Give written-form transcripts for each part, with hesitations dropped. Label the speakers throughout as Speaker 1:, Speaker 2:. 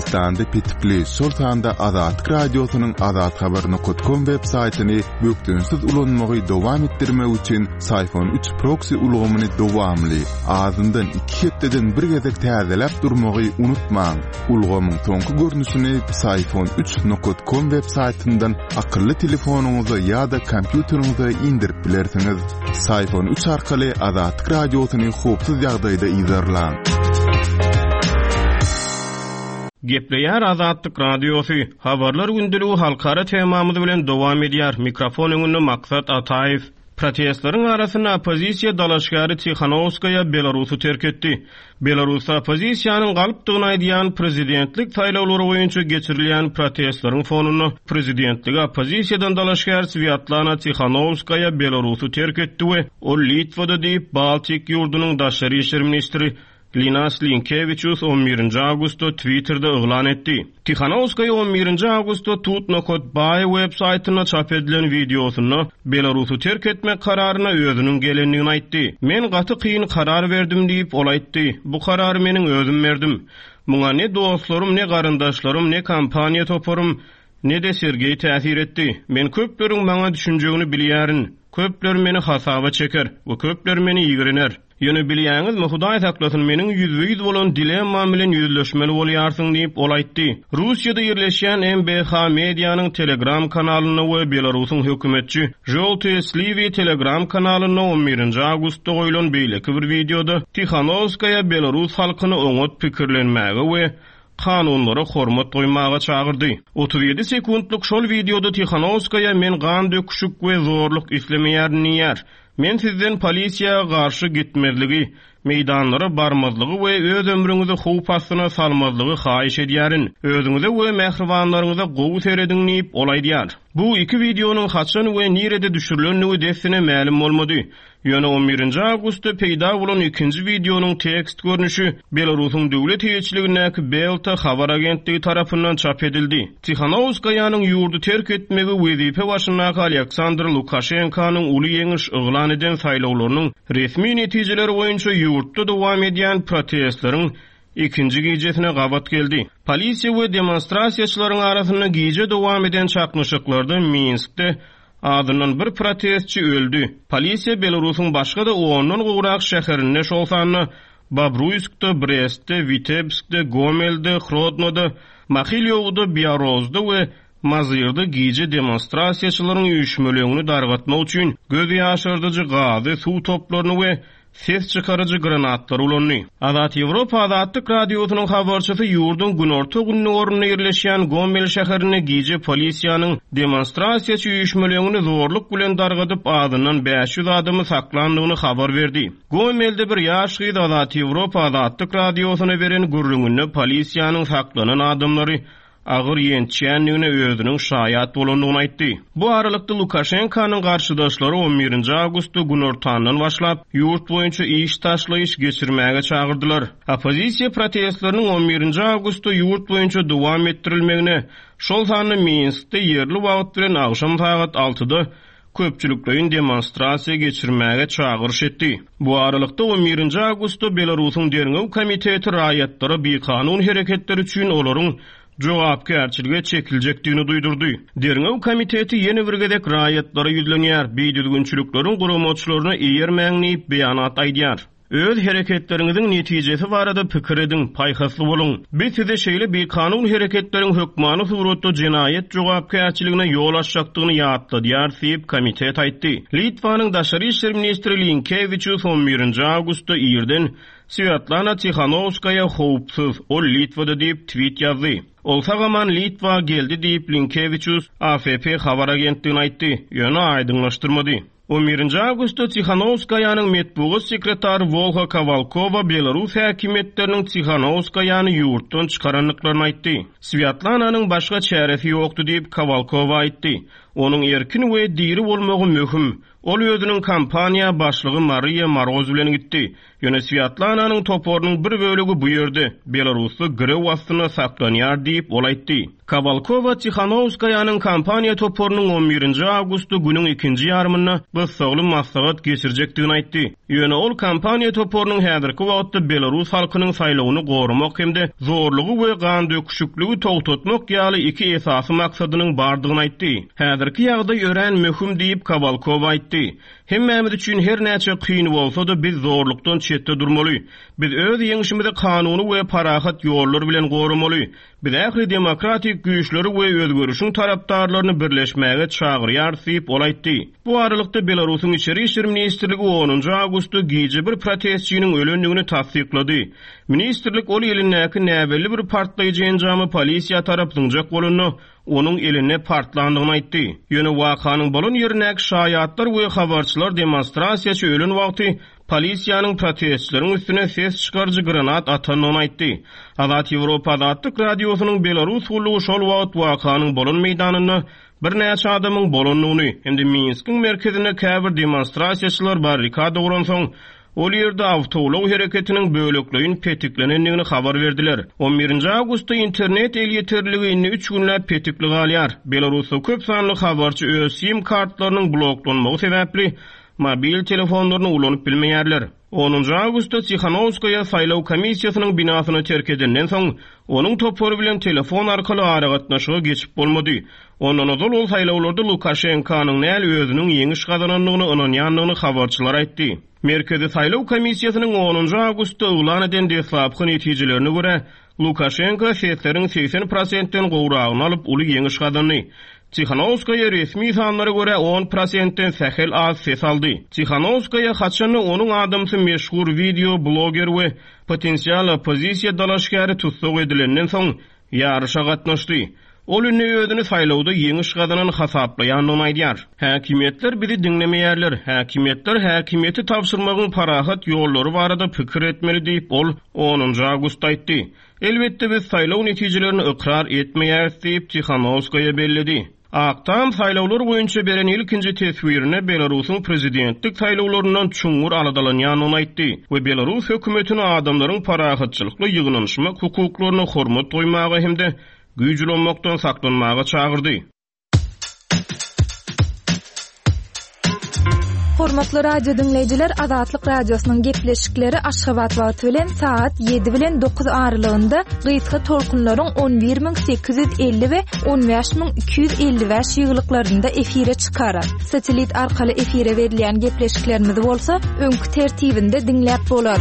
Speaker 1: Türkmenistanda petikli, şol sanda Azatlyk Radiosynyň azathabar nokat kom web saýtyny bökdençsiz ulanmagy dowam etdirmek üçin Syfon üç proksi ulgamyny dowamly, azyndan iki hepdeden bir gezek täzeläp durmagy unutmaň. Ulgamyň soňky görnüşini Psiphon üç nokat kom web saýtyndan akylly telefonyňyza ýa-da kompýuteriňize indirip bilersiňiz. Psiphon üç arkaly Azatlyk Radiosyny howpsuz ýagdaýda yzarlaň.
Speaker 2: Gepleýär Azatlyk Radiosy, Habarlar gündeligi halkara temamyz bilen dowam edýär, mikrofon öňünde Maksat Ataýew. Protestleriň arasynda oppozisiýa dalaşgäri Tihanowskaýa Belarusy terk etdi. Belarusda oppozisiýanyň galpdygyny aýdýan prezidentlik saýlawlary boýunça geçirilýän protestleriň fonunda prezidentlige oppozisiýadan dalaşgär Swýatlana Tihanowskaýa Belarusy terk etdi we ol Litwada diýip, Baltik ýurdunyň daşary işler ministri Linas Linkewiçus on birinji awgustda Twitterde yglan etdi. Tihanowskaýa on birinji awgustda Tut nokat by web saýtynda çap edilen wideosynda Belarusy terk etmek kararyna özüniň gelendigini aýtdy. Men gaty kyn karar berdim diýip, ol aýtdy. Bu karary meniň özüm berdim. Muňa ne dostlarym, ne garyndaşlarym, ne kampaniýa toparym, ne-de Sergeý täsir etdi. Men köpleriň maňa düşünjegini bilýärin. Köpler meni hasaba çeker we köpler meni ýigrener. Ýöne bilýäňizmi, Hudaý saklasyn, meniň ýüzbe-ýüz bolan dilemmam bilen ýüzleşmeli bolýarsyň diýip, ol aýtdy. Russiýada ýerleşýän MBH Medianyň Telegram kanalynda we Belarusyň hökümetçi Žoltyýe Sliwi Telegram kanalynda on birinji awgustda goýlan beýleki bir wideoda Tihanowskaýa belarus halkyny oňat pikirlenmäge we kanunlara hormat goýmaga çagyrdy. 37 sekuntlyk şol wideoda Tihanowskaýa men gan döküşik we zorluk islemeýärin diýýär. Men sizden polisiýa garşy gitmezligi, meýdanlara barmazlygy we öz ömrüňizi howp astyna salmazlygy haýyş edýärin. Özüňize we mähribanlaryňyza gowy serediň diýip, ol aýdýar. Bu iki wideonyň haçan we nirede düşürilendigi dessine mälim bolmady. Ýöne on birinji awgustda peýda bolan ikinji wideonyň tekst görnüşi Belarusyň döwlet eýeçiligindäki Belta habar agentligi tarapyndan çap edildi. Tihanowskaýanyň ýurdy terk etmegi wezipe başyndaky Alýaksandr Lukaşenkanyň uly ýeňiş yglan eden saýlawlarynyň resmi netijeleri boýunça ýurtda dowam edýän protestleriň ikinji gijesine gabat geldi. Polisiýa we demonstrasiýaçylaryň arasynda gije dowam eden çaknyşyklarda Minskde azyndan bir protestçi öldi. Polisiýa Belarusyň başga-da ondan gowrak şäherinde, şol sanda Babruýskda, Brestde, Witebskde, Gomelde, Hrodnoda, Mahilýowda, Biarozda we Mazyrda gije demonstrasiýaçylaryň üýşmeleňini dargatmak üçin göz ýaşardyjy gazy, suw toplaryny we ses çykaryjy granatlary ulandy. Azat Ýewropa Azatlyk Radiosynyň habarçysy ýurduň günorta-gündogarynda ýerleşýän Gomel şäherinde gije polisiýanyň demonstrasiýaçy üýşmeleňini zorluk bilen dargadyp, azyndan 500 adamy saklandygyny habar berdi. Gomelde bir ýaş gyz Azat Ýewropa Azatlyk Radiosyna beren gürrüňinde polisiýanyň saklanan adamlary agyr ýençýändigine özüniň şaýat bolandygyny aýtdy. Bu aralykda Lukaşenkanyň garşydaşlary on birinji awgustda günortandan başlap, ýurt boýunça iş taşlaýyş geçirmäge çagyrdylar. Oppozisiýa protestleriniň on birinji awgustda ýurt boýunça dowam etdirilmegine, şol sanda Minskde ýerli wagt bilen agşam sagat altyda köpçülikleýin demonstrasiýa geçirmäge çagyryş etdi. Bu aralykda, on birinji awgustda Belarusyň Derňew komiteti raýatlara bikanun hereketleri üçin olaryň jogapkärçilige çekiljekdigini duýdurdy. Derňew komiteti ýene bir gezek raýatlara ýüzlenýär, bidüzgünçilikleriň guramaçylaryna eýermäň diýip, beýanat aýdýar. Öz hereketleriňiziň netijesi barada pikir ediň, paýhasly boluň. Biz size şeýle bikanun hereketleriň hökmany suratda jenaýat jogapkärçiligine ýol açjakdygyny ýatladýarys diýip, komitet aýtdy. Litwanyň daşary işler ministri Linkewiçus on birinji awgustda irden Swýatlana Tihanowskaýa howpsuz, ol Litwada diýip, twit ýazdy. Ol sag-aman Litwa geldi diýip, Linkewiçus AFP habar agentligine aýtdy, ýöne aýdyňlaşdyrmady. On birinji awgustda Tihanowskaýanyň metbugat sekretary Wolha Kowalkowa belarus häkimiýetleriniň Tihanowskaýany ýurtdan çykarandyklaryny aýtdy. Swýatlananyň başga çäresi ýokdy diýip, Kowalkowa aýtdy. Onuň erkin we diri bolmagy möhüm. Ol özüniň kampaniýa başlygy Mariýa Moroz bilen gitdi. Ýöne Swýatlananyň toparynyň bir bölegi bu ýerde, Belarusda girew astynda saklanýar diýip, ol aýtdy. Kowalkowa Tihanowskaýanyň kampaniýa toparynyň on birinji awgustda günüň ikinji ýarymynda gyssagly maslahat geçirjekdigini aýtdy. Ýöne ol kampaniýa toparynyň häzirki wagtda belarus halkynyň saýlawyny goramak hem-de zorlugy we gandöküşikligi togtatmak ýaly iki esasy maksadynyň bardygyny aýtdy. Häzirki ýagdaý örän möhüm diýip, Kowalkowa aýtdy. Hemmämiz üçin her näçe kyn bolsa-da, biz zorlukdan çetde durmaly. Biz öz ýeňşimizi kanuny we parahat ýollar bilen goramaly. Biz ähli demokratik güýçleri we özgerişiň tarapdarlaryny birleşmäge çagyrýarys diýip, ol aýtdy. Bu aralykda, Belarusyň Içeri işler ministrligi onunjy awgustda gije bir protestçiniň ölendigini tassyklady. Ministrlik ol elindäki näbelli bir partlaýjy enjamy polisiýa tarap zyňjak bolanda, onuň elinde partlandygyny aýtdy. Ýöne wakanyň bolan ýerindäki şaýatlar we habarçylar demonstrasiýaçy ölen wagty polisiýanyň protestçileriň üstüne ses çykaryjy granat atandygyny aýtdy. Azat Ýewropa Azatlyk Radiosynyň Belarus gullugy şol wagt wakanyň bolan meýdanynda birnäçe adamyň bolandygyny hem-de Minskiň merkezinde käbir demonstrasiýaçylar barrikada guransoň, ol ýerde awtoulag hereketiniň bölekleýin petiklenendigini habar berdiler. On birinji awgustda internet elýeterliligi indi üç günläp petikli galýar. Belarusda köp sanly habarçy öz sim kartlarynyň bloklanmagy sebäpli mobil telefonlaryny ulanyp bilmeýärler. Onunjy awgustda Tihanowskaýa saýlaw komissiýasynyň binasyny terk edenden soň, onuň topary bilen telefon arkaly aragatnaşyga geçip bolmady. Ondan ozal ol saýlawlarda Lukaşenkanyň däl, özüniň ýeňiş gazanandygyna ynanýandygyny habarçylara aýtdy. Merkezi saýlaw komissiýasynyň onunjy awgustda yglan eden deslapky netijelerine görä, Lukaşenko sesleriň 80 prosentden gowragyny alyp, uly ýeňiş gazandy. Tihanowskaýa resmi sanlara görä on prosentden sähel az ses aldy. Tihanowskaýa haçan-da onuň adamsy meşhur wideo bloger we potensial oppozisiýa dalaşgäri tussag edilenden soň ýaryşa gatnaşdy. Ol indi özüni saýlawda ýeňiş gazanan hasaplaýandygyny aýdýar. Häkimiýetler bizi diňlemeýärler. Häkimiýetler häkimiýeti tabşyrmagyň parahat ýollary barada pikir etmeli diýip, ol onunjy awgustda aýtdy. Elbetde, biz saýlaw netijelerini ykrar etmeýäris diýip, Tihanowskaýa belledi. Ak Tam saýlawlar boýunça beren ilkinji teswirinde Belarusyň prezidentlik saýlawlaryndan çuňňur aladalanýandygyny aýtdy we belarus hökümetini adamlaryň parahatçylykly ýygnanyşmak hukuklaryna hormat goýmaga hem-de güýç ulanmakdan saklanmaga çagyrdy.
Speaker 3: Hormatly radio diňleýjiler, Azatlyk Radiosynyň gepleşikleri Aşgabat wagty bilen sagat 7 bilen 9 aralygynda gysga tolkunlaryň 11850 we 15255 ýygylyklarynda efire çykar. Satellit arkaly efire berilýän gepleşiklerimizi bolsa öňki tertibinde diňläp bolar.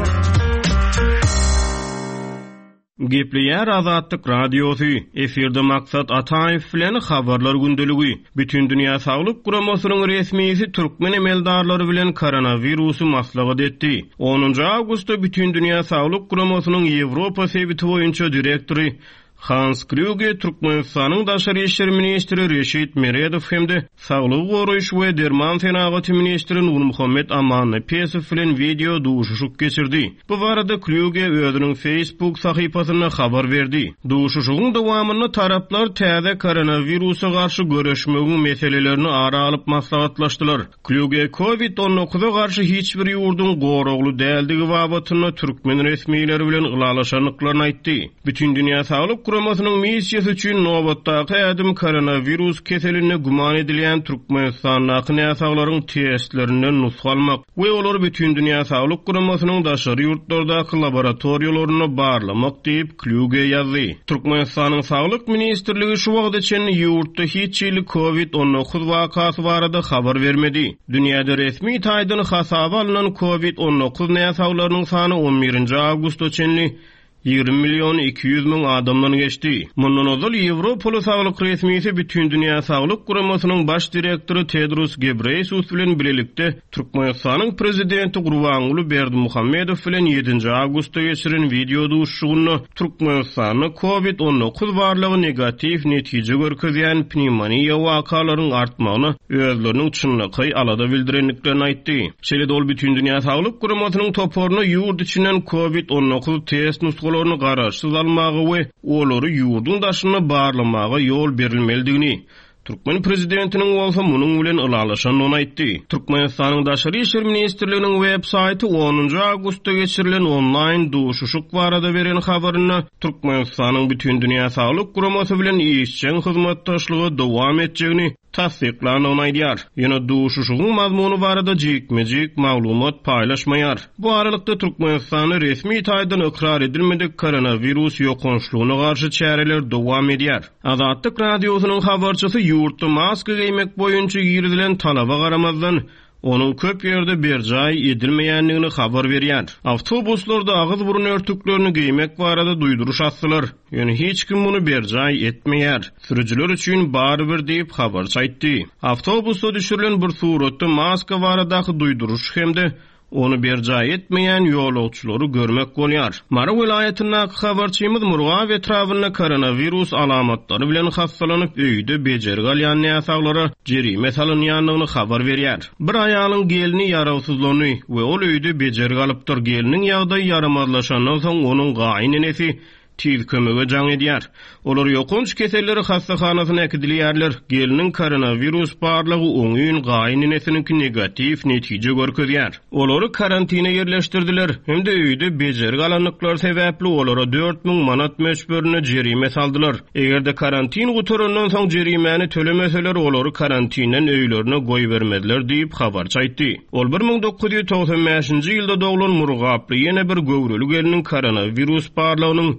Speaker 2: Gepleýär Azatlyk Radiosy, efirde Maksat Ataýew bilen Habarlar gündeligi. Bütindünýä Saglyk Guramasynyň resmisi türkmen emeldarlary bilen koronawirusy maslahat etdi. Onunjy awgustda Bütindünýä Saglyk Guramasynyň Ýewropa sebiti boýunça direktory Hans Klýuge Türkmenistanyň daşary işler ministri Reşit Meredow hem-de saglygy goraýyş we derman senagaty ministri Nurmuhammet Amannepesow bilen wideo duşuşyk geçirdi. Bu barada Klýuge özüniň Facebook sahypasynda habar berdi. Duşuşygyň dowamynda taraplar täze koronawirusa garşy göreşmegiň meselelerini ara alyp maslahatlaşdylar. Klýuge Covid on dokuza garşy hiç bir ýurduň goragly däldigi babatynda türkmen resmileri bilen ylalaşandyklaryny aýtdy. Bütindünýä Saglyk Guramasynyň missiýasy üçin nobatdaky ädim koronawirus keselinde güman edilýän Türkmenistandaky näsaglaryň testlerinden nusga almak we olary Bütindünýä Saglyk Guramasynyň daşary ýurtlardaky laboratoriýalarynda barlamak diýip, Klýuge ýazdy. Türkmenistanyň Saglyk ministrligi şu wagta çenli ýurtda hiç hili Covid 19 wakasy barada habar bermedi. Dünýäde resmi taýdan hasaba alnan Covid 19 näsaglarynyň sany on birinji awgusta çenli 20 million 200 müň adamdan geçdi. Mundan ozal ýewropaly saglyk resmisi Bütindünýä Saglyk Guramasynyň baş direktory Tedros Gebreýesus bilen bilelikde Türkmenistanyň Prezidenti Gurbanguly Berdimuhamedow bilen ýedinji awgustda geçiren wideo duşuşygynda Türkmenistanda Covid 19 barlagy negatiw netije görkezýän pnewmoniýa wakalaryň artmagyna özleriniň çynlakaý alada bildirendiklerini aýtdy. Şeýle-de ol Bütindünýä Saglyk Guramasynyň toparyna ýurt içinden Covid 19 test nusgalaryny garaşsyz almaga we olary ýurduň daşynda barlamaga ýol berilmelidigini, Türkmen prezidentiniň bolsa munuň bilen ylalaşandygyny aýtdy. Türkmenistanyň Daşary işler ministrliginiň web saýty onunjy awgustda geçirilen onlaýn duşuşyk barada beren habarynda Türkmenistanyň Bütindünýä Saglyk Guramasy bilen işjeň hyzmatdaşlygy dowam etjegini tassyklandygyny aýdýar. Ýöne duşuşygyň mazmuny barada jikme-jik maglumat paýlaşmaýar. Bu aralykda, Türkmenistanda resmi taýdan ykrar edilmedik koronawirus ýokançlygyna garşy çäreler dowam edýär. Azatlyk Radiosynyň habarçysy ýurtda maska geýmek boýunça girizilen talaba garamazdan, onuň köp ýerde berjaý edilmeýändigini habar berýär. Awtobuslarda agyz-burun örtüklerini geýmek barada duýduryş asdylar, ýöne hiç kim muny berjaý etmeýär. Sürüjiler üçin barybir diýip, habarçy aýtdy. Awtobusda düşürilen bir suratda maska baradaky duýduryş hem-de Ony berjaý etmeýän ýolagçylary görmek bolýar. Mary welaýatyndaky habarçymyz Murgap etrabynda koronawirus alamatlary bilen hassalanyp, öýde bejergi alýan näsaglara jerime salynýandygyny habar berýär. Bir aýalyň gelni ýarawsyzlandy we ol öýde bejergi alypdyr. Gelniň ýagdaýy ýaramazlaşandan soň, onuň gaýyn enesi Tiz kömege jaň edýär. Olar ýokanç keselleri hassahanasyna äkidilýärler. Gelniň koronawirus barlagy oňyn, gaýyn enesiniňki negatiw netije görkezýär. Olary karantine ýerleşdirdiler hem-de öýde bejergi alandyklary sebäpli olara 4000 manat möçberinde jerime saldylar. Eger-de karantin gutarandan soň jerimäni tölemeseler, olary karantinden öýlerine goýbermezler diýip, habarçy aýtdy. Ol 1995-nji ýylda doglan murgaply ýene bir göwreli gelniň koronawirus barlagynyň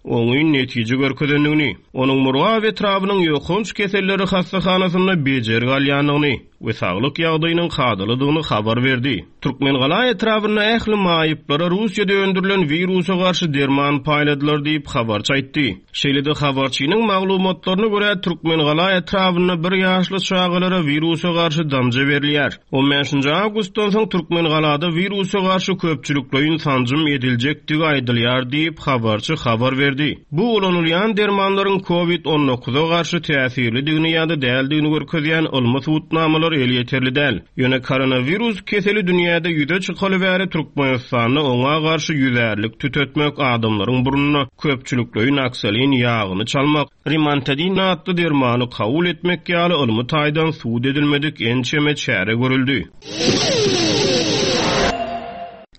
Speaker 2: oňyn netije görkezendigini, onuň Murgap etrabynyň ýokanç keselleri hassahanasynda bejergi alýandygyny we saglyk ýagdaýynyň kadalydygyny habar berdi. Türkmengala etrabynda ähli maýyplara Russiýada öndürilen wirusa garşy derman paýladylar diýip, habarçy aýtdy. Şeýle-de habarçynyň maglumatlaryna görä, Türkmengala etrabynda bir ýaşly çagalara wirusa garşy damja berilýär. On bäşinji awgustdan soň Türkmengalada wirusa garşy köpçülikleýin sanjym ediljekdigi aýdylýar diýip, habarçy habar berdi. Bu ulanylýan dermanlaryň covid on dokuza garşy täsirlidigini ýa-da däldigini görkezýän ylmy subutnamalar elýeterli däl. Ýöne koronawirus keseli dünýäde ýüze çykaly bäri Türkmenistanda oňa garşy ýüzärlik tütetmek, adamlaryň burnuna köpçülikleýin oksolin ýagyny çalmak, rimantadin atly dermany kabul etmek ýaly ylmy taýdan subut edilmedik ençeme çäre görüldi.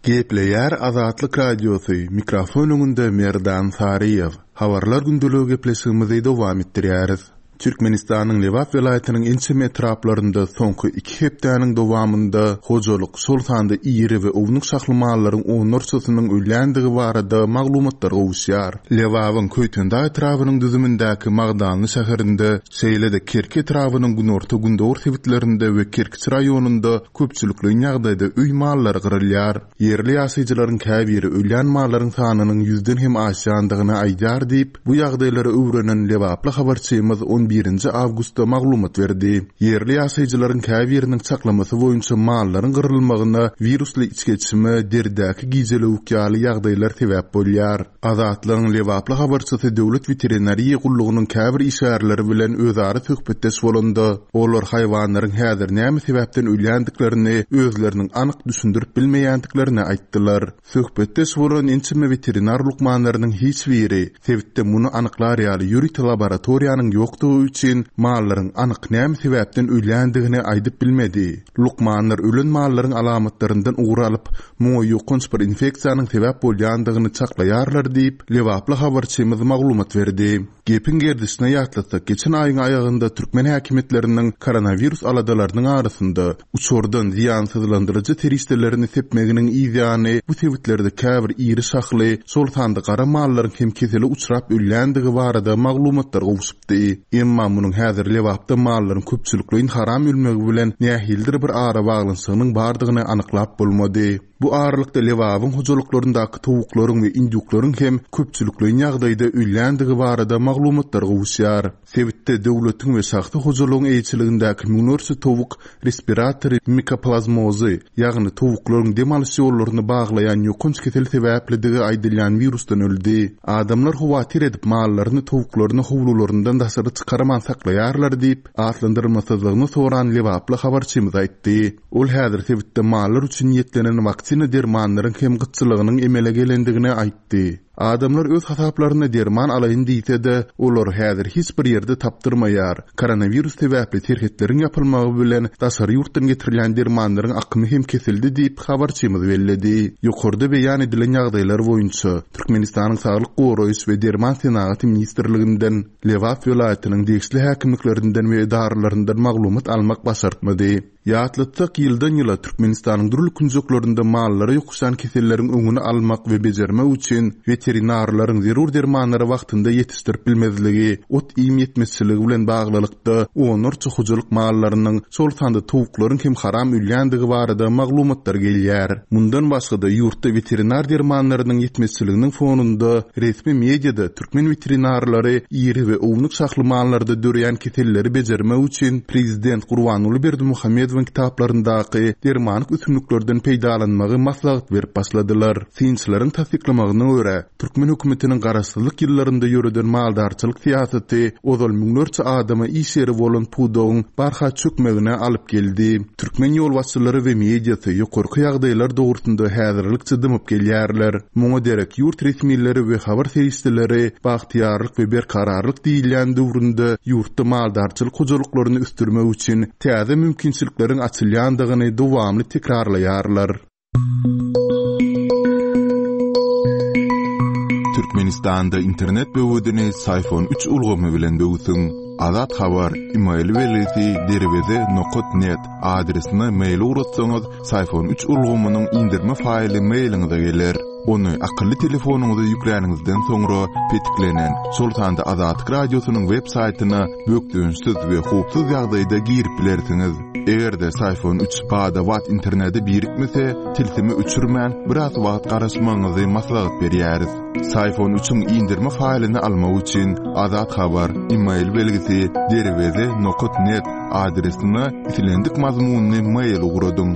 Speaker 1: Gepleýär Azatlyk Radiosy, mikrofon öňünde Merdan Saryýew. Habarlar gündeligi gepleşigimizi dowam etdirýäris. Türkmenistanyň Lebap welaýatynyň ençeme etraplarynda soňky iki hepdäniň dowamynda hojalyk, şol sanda iri we ownuk şahly mallaryň onlarçasynyň ölýändigi barada maglumatlar gowuşýar. Lebabyň Köýtendag etrabynyň düzümindäki Magdanly şäherinde, şeýle-de Kerki etrabynyň günorta-gündogar sebitlerinde we Kerkiç raýonynda köpçülikleýin ýagdaýda öý mallary gyrylýar. Ýerli ýaşaýjylaryň käbiri ölýän mallaryň sanynyň ýüzden hem aşýandygyny aýdýar diýip, bu ýagdaýlary öwrenen lebaply habarçymyz on birinji awgustda maglumat berdi. Ýerli ýaşaýjylaryň käbiriniň çaklamasy boýunça mallaryň gyrylmagyna wirusly içgeçme, deridäki gijelewük ýaly ýagdaýlar sebäp bolýar. Azatlygyň lebaply habarçysy Döwlet weterinariýa gullugynyň käbir işgärleri bilen özara söhbetdeş bolanda, olar haýwanlaryň häzir näme sebäpden ölýändiklerini özleriniň anyk düşündirip bilmeýändiklerini aýtdylar. Söhbetdeş bolan ençeme weterinar lukmanlarynyň hiç biri sebitde muny anyklar ýaly ýörite laboratoriýanyň ýokdugy üçin mallaryň anyk näme sebäpden ölýändigini aýdyp bilmedi. Lukmanlar ölen mallaryň alamatlaryndan ugur alyp, muňa ýokanç bir infeksiýanyň sebäp bolýandygyny çaklaýarlar diýip, lebaply habarçymyz maglumat berdi. Gepiň gerdişine ýatlatsak, geçen aýyň aýagynda türkmen häkimiýetleriniň koronawirus aladalarynyň arasynda uçardan zyýansyzlandyryjy serişdelerini sepmeginiň yzýany bu sebitlerde käbir iri şahly, şol sanda gara mallaryň hem kesele uçrap ölýändigi barada maglumatlar gowşupdy. Emma munuň häzir Lebapda mallaryň köpçülikleýin haram ölmegi bilen nähilidir bir arabaglanyşygynyň bardygyny anyklap bolmady. Bu aralykda Lebabyň hojalyklaryndaky towuklaryň we indýuklaryň hem köpçülikleýin ýagdaýda ölýändigi barada maglumatlar gowuşýar. Sebitde döwletiň we şahsy hojalygyň eýeçiligindäki müňlerçe towuk respiratory mikoplazmozy, ýagny towuklaryň dem alyş ýollaryny baglaýan ýokanç kesel sebäplidigi aýdylýan wirusdan öldi. Adamlar howatyr edip mallaryny, towuklaryny howlularyndan daşary çykarman saklaýarlar diýip, atlandyrmasyzlygyny soran lebaply habarçymyz aýtdy. Ol häzir sebitde mallar üçin niýetlenen waksina dermanlaryň hem gytçylygynyň emele gelendigini aýtdy. Adamlar öz hasaplaryna derman alaýyn diýse-de, olary häzir hiç bir ýerde tapdyrmaýar. Koronawirus sebäpli serhetleriň ýapylmagy bilen daşary ýurtdan getirilýän dermanlaryň akymy hem kesildi diýip, habarçymyz belledi. Ýokarda beýan edilen ýagdaýlar boýunça Türkmenistanyň Saglyk goraýyş we derman senagaty ministrliginden, Lebap welaýatynyň degişli häkimliklerinden we edaralaryndan maglumat almak başartmady. Ýatlatsak, ýyldan-ýyla Türkmenistanyň dürli künjeklerinde mallara ýokuşýan keselleriň öňüni almak we bejermek üçin weterinarlaryň zerur dermanlary wagtynda ýetişdirip bilmezligi, ot-iým ýetmezçiligi bilen baglylykda onlarça hojalyk mallarynyň, şol sanda towuklaryň hem haram ölýändigi barada maglumatlar gelýär. Mundan başga-da, ýurtda weterinar dermanlarynyň ýetmezçiliginiň fonunda resmi mediada Türkmen weterinarlary iri we ownuk şahly mallarda döreýän keselleri bejermek üçin prezident Gurbanguly Berdimuhamedowyň kitaplaryndaky dermanlyk ösümliklerden peýdalanmagy maslahat berip başladylar. Synçylaryň tassyklamagyna görä, türkmen hökümetiniň garaşsyzlyk ýyllarynda ýöreden maldarçylyk syýasaty ozal müňlerçe adama iş ýeri bolan pudagyň barha çökmegine alyp geldi. Türkmen ýolbaşçylary we mediasy ýokarky ýagdaýlar dogrusynda häzirlikçe dymyp gelýärler. Muňa derek ýurt resmileri we habar serişdeleri bagtyýarlyk we berkararlyk diýilýän döwründe ýurtda maldarçylyk hojalyklaryny ösdürmek üçin täze mümkinçilikleriň açylýandygyny dowamly tekrarlaýarlar. Türkmenistanda internet böwedini Syfon üç ulgamy bilen böwsüň. Azat Habar, email belgisi derweze nokat net adresine mail ugratsaňyz, Syfon üç ulgamynyň indirme faýly mailiňize geler. Ony akylly telefonyňyza ýükläniňizden soňra petiklenen, şol sanda Azatlyk Radiosynyň web saýtyna bökdençsiz we howpsuz ýagdaýda girip bilersiňiz. Eger-de Syfon üç bada-bat internete birikmese, tilsimi öçürmän, biraz wagt garaşmagyňyzy maslahat berýäris. Syfon üçiň indirme faýlyny almak üçin Azat Habar, email belgisi, derweze nokat net adresine islendik mazmunly mail ugradyň.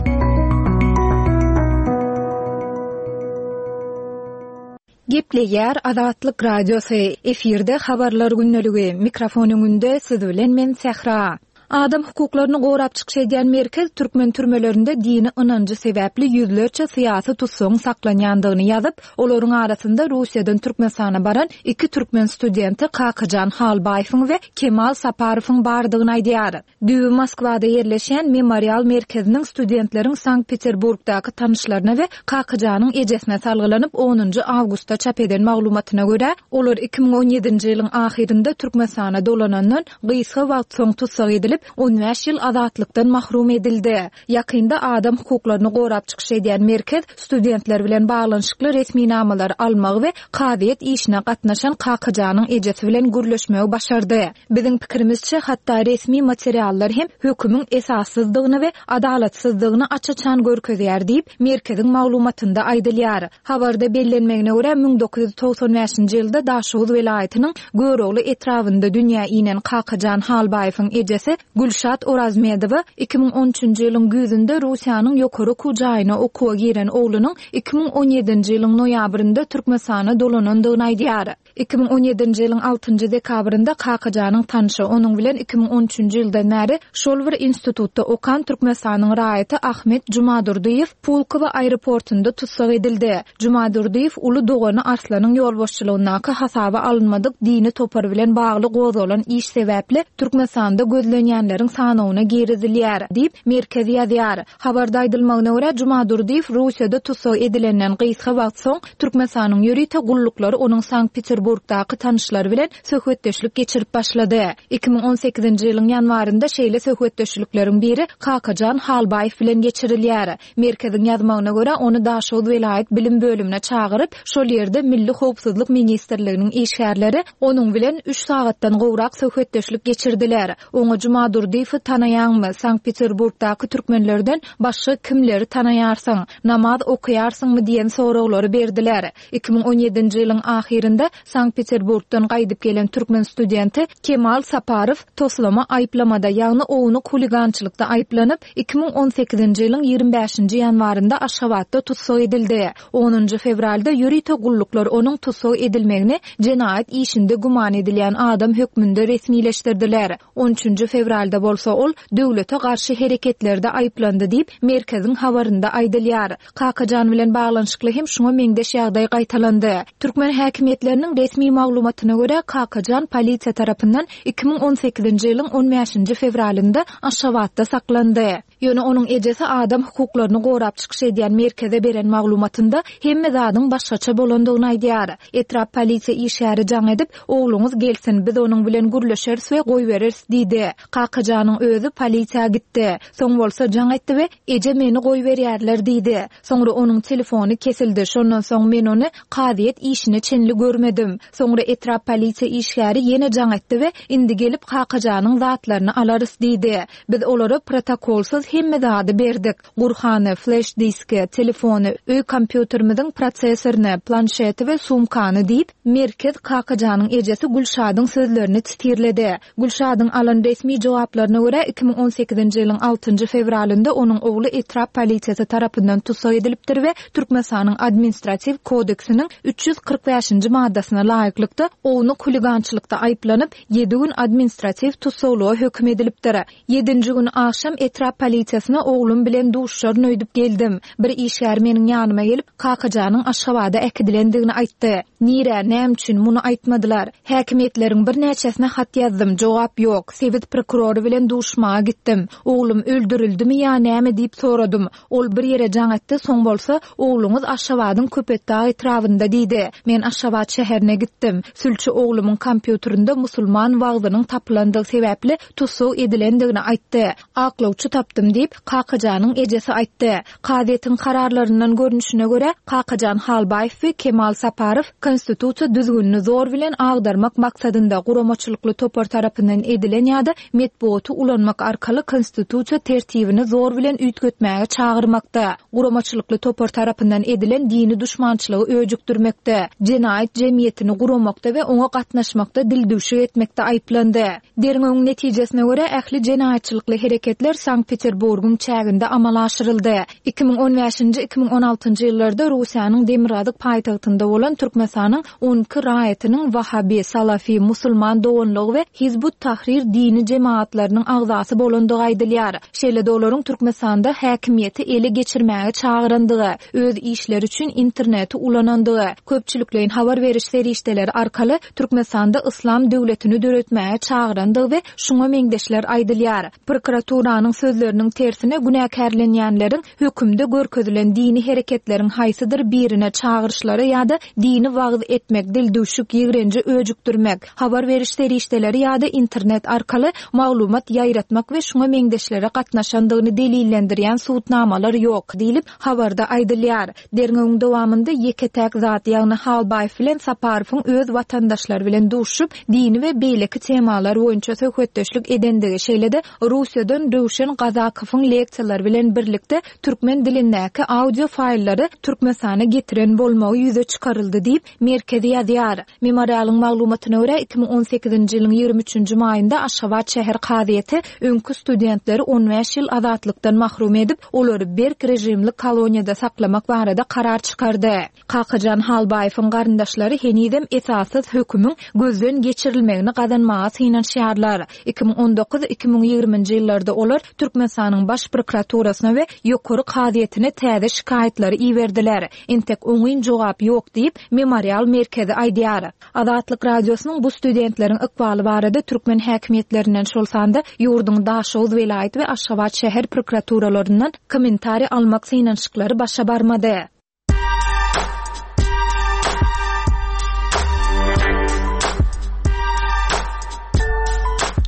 Speaker 3: Gepleýär Azatlyk Radiosy, efirde Habarlar gündeligi, mikrofon öňünde siz bilen men Sähra. Adam hukuklaryny gorap çykyş edýän merkez türkmen türmelerinde dini ynanjy sebäpli ýüzlerçe syýasy tussagyň saklanýandygyny ýazyp, olaryň arasynda Russiýadan Türkmenistana baran iki türkmen studenti Kakajan Halbaýewiň we Kemal Saparowyň bardygyny aýdýar. Düýbi Moskwada ýerleşýän Memorial merkeziniň studentleriň Sankt-Peterburgdaky tanyşlaryna we Kakajanyň ejesine salgylanyp onunjy awgustda çap eden maglumatyna görä, olar 2017-nji ýylyň ahyrynda Türkmenistana dolanandan gysga wagt soň tussag edilip, on bäş ýyl azatlykdan mahrum edildi. Ýakynda adam hukuklaryny gorap çykyş edýän merkez studentler bilen baglanyşykly resminamalary almagy we kazyýet işine gatnaşan Kakajanyň ejesi bilen gürleşmegi başardy. Biziň pikirimizçe, hatda resmi materiallar hem hökümiň esassyzdygyny we adalatsyzdygyny aç-açan görkezýär diýip, merkeziň maglumatynda aýdylýar. Habarda bellenmegine görä, 1995-nji ýylda Daşoguz welaýatynyň Görogly etrabynda dünýä inen Kakajan Halbaýewiň ejesi Gülşat Orazmedowa 2013-nji ýylyň güýzünde Russiýanyň ýokary okuw jaýyna okuwa giren oglunyň 2017-nji ýylyň noýabrynda Türkmenistana dolanandygyny aýdýar. 2017-nji ýylyň altynjy dekabrynda Kakajanyň tanşy, onuň bilen 2013-nji ýyldan bäri şol bir institutda okan Türkmenistanyň raýaty Ahmet Jumadurdyýew Pulkowo aeroportunda tussag edildi. Jumadurdyýew uly dogany Arslanyň ýolbaşçylygyndaky hasaba alynmadyk dini topar bilen bagly gozgalan iş sebäpli Türkmenistanda gözlenýänleriň sanawyna girizilýär, diýip, merkez ýazýar. Habarda aýdylmagyna görä, Jumadurdyýew Russiýada tussag edilenden gysga wagt soň, Türkmenistanyň ýörite gulluklary onuň Sankt-Peterburgdaky tanyşlary bilen söhbetdeşlik geçirip başlady. 2018-nji ýylyň ýanwarynda şeýle söhbetdeşlikleriň biri Kakajan Halbaýew bilen geçirilýär. Merkeziň ýazmagyna görä, ony Daşoguz welaýat bilim bölümine çagyryp, şol ýerde Milli howpsuzlyk ministrliginiň işgärleri onuň bilen üç sagatdan gowrak söhbetdeşlik geçirdiler. Oňa Jumadurdyýewi tanaýaňmy, Sankt-Peterburgdaky türkmenlerden başga kimleri tanaýarsyň, namaz okaýarsyňmy diýen soraglary berdiler. 2017-nji ýylyň ahyrynda Sankt-Peterburgdan gaýdyp gelen türkmen studenti Kemal Saparow toslama aýyplamada, ýagny ownuk huligançylykda aýyplanyp, 2018-nji ýylyň 25-nji ýanwarynda Aşgabatda tussag edildi. Onunjy fewralda ýörite gulluklar onuň tussag edilmegini jenaýat işinde güman edilýän adam hökmünde resmileşdirdiler. On üçünji fewralda. fewralda bolsa ol döwlete garşy hereketlerde aýyplandy diýip, merkeziň habarynda aýdylýar. Kakajan bilen baglanyşykly hem şuňa meňzeş ýagdaý gaýtalandy. Türkmen häkimiýetleriniň resmi maglumatyna görä, Kakajan polisiýa tarapyndan 2018-nji ýylyň on bäşinji fewralynda Aşgabatda saklandy. Ýöne onuň ejesi adam hukuklaryny gorap çykyş edýän merkeze beren maglumatynda hemme zadyň başgaça bolandygyny aýdýar. Etrap polisiýa işgäri jaň edip, Ogluňyz gelsin, biz onuň bilen gürleşeris we goýbereris diýdi. Kakajanyň özi polisiýa gitdi. Soň bolsa jaň etdi we, Eje meni goýberýärler diýdi. Soňra onuň telefony kesildi, şondan soň men ony kazyýet işine çenli görmedim. Soňra etrap polisiýa işgäri ýene jaň etdi we, Indi gelip Kakajanyň zatlaryny alarys diýdi. Biz olara protokolsyz hemme zady berdik. Gurhany, fleş diski, telefony, öý kompýuterimiziň prosessoryny, planşeti we sumkany diýip, Merkez Kakajanyň ejesi Gülşadyň sözlerini titirledi. Gülşadyň alan resmi jogaplaryna görä, 2018-nji ýylyň altynjy fewralynda onuň ogly etrap polisiýasy tarapyndan tussag edilipdir we Türkmenistanyň Administratiw kodeksiniň 345-nji maddasyna laýyklykda ownuk huligançylykda aýyplanyp, ýedi gün administratiw tussaglyga höküm edilipdir. Ýedinji gün agşam etrap polisiýasyna oglum bilen duşuşaryn öýdüp geldim. Bir işgär meniň ýanyma gelip, Kakajanyň Aşgabada äkidilendigini aýtdy. Nirä, näme üçin, muny aýtmadylar. Häkimiýetleriň birnäçesine hat ýazdym, jogap ýok. Sebit prokurory bilen duşuşmaga gitdim. Oglum öldürildimi ýa näme diýip soradym. Ol bir ýere jaň etdi, soň bolsa, Ogluňyz Aşgabadyň Köpetdag etrabynda diýdi. Men Aşgabat şäherine gitdim. Sülçi oglumyň kompýuterinde musulman wagzynyň tapylandygy sebäpli tussag edilendigini aýtdy. Aklawçy tapdym diýip, Kakajanyň ejesi aýtdy. Kazyýetiň kararlaryndan görnüşine görä, Kakajan Halbaýew we Kemal Saparow konstitusiýa düzgünini zor bilen agdarmak maksadynda guramaçylykly topar tarapyndan edilen ýa-da metbugaty ulanmak arkaly konstitusiýa tertibini zor bilen üýtgetmäge çagyrmakda, guramaçylykly topar tarapyndan edilen dini duşmançylygy öjükdirmekde, jenaýat jemgyýetini guramakda we oňa gatnaşmakda dildüwşük etmekde aýyplandy. Derňewiň netijesine görä, ähli jenaýatçylykly hereketler Sankt-Peterburgyň çäginde amala aşyryldy. 2015-nji, 2016-njy ýyllarda Russiýanyň demirgazyk paýtagtynda bolan Türkmenistanyň 12 raýatynyň Wahabi, Salafi, Musulman doganlygy we Hizb ut-Tahrir dini jemagatlarynyň agzasy bolandygy aýdylýar. Şeýle-de olaryň Türkmenistanda häkimiýeti ele geçirmäge çagyrandygy, öz işleri üçin interneti ulanandygy, köpçülikleýin habar beriş serişdeleri arkaly Türkmenistanda yslam döwletini döretmäge çagyrandygy we şuňa meňzeşler aýdylýar. Prokuraturanyň sözleriniň tersine günäkärlenýänleriň hökümde görkezilen dini hereketleriň haýsydyr birine çagyryşlara ýa-da dini wagyz etmek, dildüwşük, ýigrenji öjükdirmek, habar beriş serişdeleri ýa-da internet arkaly maglumat ýaýratmak we şuňa meňzeşlere gatnaşandygyny delillendirýän subutnamalar ýok, diýlip, habarda aýdylýar. Derňewiň dowamynda ýeke-täk zat, ýagny Halbaýew bilen Saparowyň öz watandaşlary bilen duşuşyp, dini we beýleki temalar boýunça söhbetdeşlik edendigi, şeýle-de Russiýadan Röwşen Gazakowyň leksiýalary bilen birlikde türkmen dilindäki audio faýllary Türkmenistana getiren bolmagy ýüze çykaryldy diýip, Merkez ýazýar. Memorialyň maglumatyna görä, 2018-nji ýylyň 23-nji maýynda Aşgabat şäher kazyýeti öňki studentleri on bäş ýyl azatlykdan mahrum edip, olary berk režimli koloniýada saklamak barada karar çykardy. Kakajan Halbaýewiň garyndaşlary henizem esassyz hökümiň gözden geçirilmegini gazanmaga synanyşýarlar. 2019, 2020-nji ýyllarda olar Türkmenistanyň Baş prokuraturasyna we Ýokary kazyýetine täze şikaýatlary iberdiler. Entek oňyn jogap ýok diýip, Memorial merkezi aýdýar. Azatlyk Radiosynyň bu studentleriň ykbaly barada türkmen häkimiýetlerinden, şol sanda ýurduň Daşoguz welaýat we Aşgabat şäher prokuraturalaryndan kommentariý almak synanyşyklary başa barmady.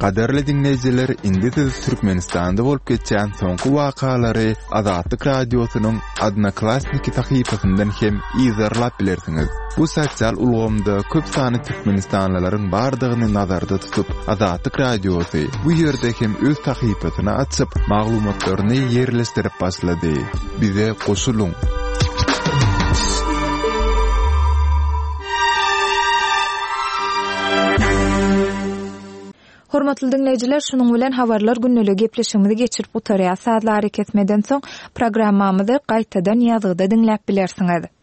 Speaker 1: Gadyrly diňleýjiler, indi siz Türkmenistanda bolup geçýän soňky wakalary Azatlyk Radiosynyň Odnoklassniki sahypasyndan hem yzarlap bilersiňiz. Bu sosial ulgamda köp sanly türkmenistanlylaryň bardygyny nazarda tutup, Azatlyk Radiosy bu ýerde hem öz sahypasyny açyp, maglumatlaryny ýerleşdirip başlady. Bize goşulyň!
Speaker 3: Hormatly diňleýjiler, şunuň bilen Habarlar gündeligi gepleşigimizi geçirip gutarýas. Sazly arakesmeden soň programmamyzy gaýtadan ýazgyda diňläp bilersiňiz.